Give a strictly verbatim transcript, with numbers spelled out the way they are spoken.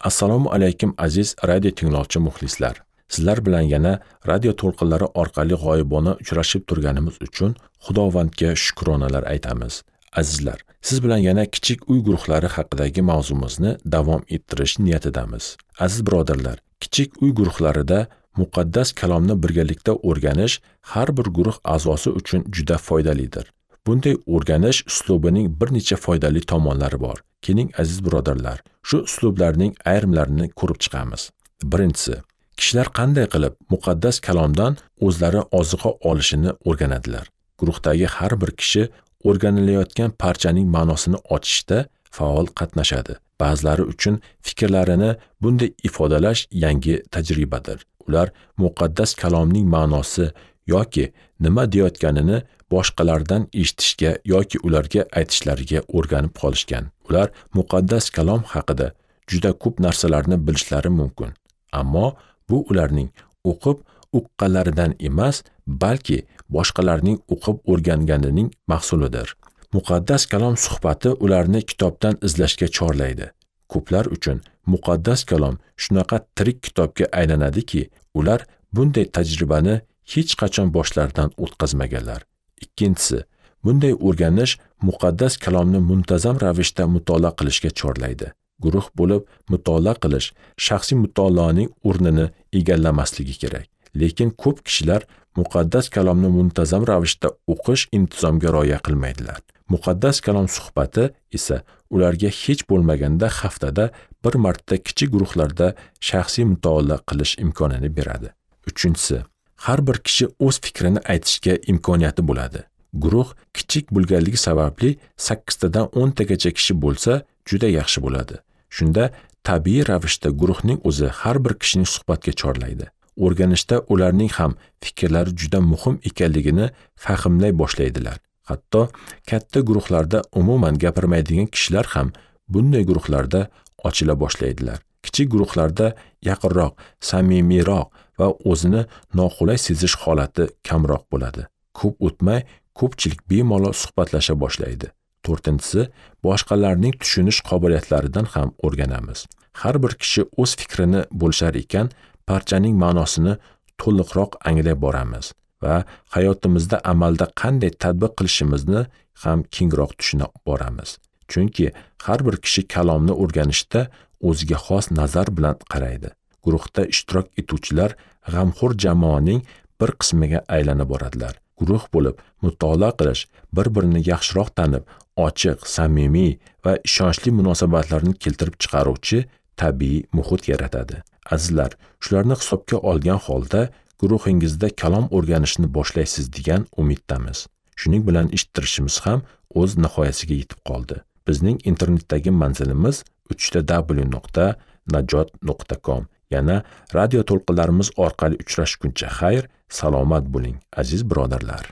Assalomu alaykum aziz radio tinglovchi muxlislar. Sizlar bilan yana radio to'lqinlari orqali g'oyibona uchrashib turganimiz uchun Xudovandga shukronalar aytamiz. Azizlar, siz bilan yana kichik uy guruhlari haqidagi mavzumizni davom ettirish niyatidamiz. Aziz birodarlar, kichik uy guruhlarida muqaddas kalomni birgalikda o'rganish har bir guruh a'zosi uchun juda foydalidir. Bunday o'rganish uslubining bir necha foydali tomonlari bor. Keling aziz birodarlar, shu uslublarning ayrimlarini ko'rib chiqamiz. Birinchisi, kishilar qanday qilib muqaddas kalomdan o'zlari oziqa olishini o'rganadilar. Guruhdagi har bir kishi o'rganilayotgan parchaning ma'nosini ochishda faol qatnashadi. Ba'zilari uchun fikrlarini bunday ifodalash yangi tajribadir. Ular muqaddas kalomning ma'nosi yoki nima deyotganini boshqalardan eshitishga yoki ularga aytishlariga o'rganib qolishgan. Ular muqaddas kalom haqida juda ko'p narsalarni bilishlari mumkin. Ammo bu ularning o'qib uqqanlaridan emas, balki boshqalarning o'qib o'rganganining mahsulidir. Muqaddas kalom suhbati ularni kitobdan izlashga chorlaydi. Ko'plar uchun muqaddas kalom shunaqa tirik kitobga aylanadiki, ular bunday tajribani hech qachon boshlaridan o'tkazmaganlar. Ikkinchisi, bunday o'rganish muqaddas kalomni muntazam ravishda mutolaa qilishga chorlaydi. Guruh bo'lib mutolaa qilish shaxsiy mutolaaning o'rnini egallamasligi kerak. Lekin ko'p kishilar muqaddas kalomni muntazam ravishda o'qish intizomga rioya qilmaydilar. Muqaddas kalom suhbati esa ularga hech bo'lmaganda haftada bir marta kichik guruhlarda shaxsiy mutolaa qilish imkonini beradi. Uchinchisi, har bir kishi o'z fikrini aytishga imkoniyati bo'ladi. Guruh kichik bo'lganligi sababli sakkiztadan o'ntagacha kishi bo'lsa juda yaxshi bo'ladi. Shunda tabiiy ravishda guruhning o'zi har bir kishini suhbatga chorlaydi. O'rganishda ularning ham fikrlari juda muhim ekanligini fahmlay boshlaydilar. Hatto katta guruhlarda umuman gapirmaydigan kishilar ham bunday guruhlarda ochila boshlaydilar. Kichik guruhlarda yaqinroq, samimiyroq va o'zini noqulay sezish holati kamroq bo'ladi. Ko'p o'tmay ko'pchilik bemalol suhbatlasha boshlaydi. To'rtinchisi, boshqalarning tushunish qobiliyatlaridan ham o'rganamiz. Har bir kishi o'z fikrini bo'lishar ekan, parchaning ma'nosini to'liqroq anglay boramiz va hayotimizda amalda qanday tatbiq qilishimizni ham kengroq tushuna boramiz. Chunki har bir kishi kalomni o'rganishda o'ziga xos nazar bilan qaraydi. Guruhda ishtirok etuvchilar g'amxo'r jamoaning bir qismiga aylanib boradilar. Guruh bo'lib mutolaa qilish, bir-birini yaxshiroq tanib, ochiq, samimiy va ishonchli munosabatlarni keltirib chiqaruvchi tabiiy muhit yaratadi. Azizlar, shularni hisobga olgan holda guruhingizda kalom o'rganishni boshlaysiz degan umiddamiz. Shuning bilan eshittirishimiz ham o'z nihoyasiga yetib qoldi. Bizning internetdagi manzilimiz uch ta w nuqta najot nuqta com. Yana radio to'lqinlarimiz orqali uchrashguncha xayr, salomat bo'ling aziz birodarlar.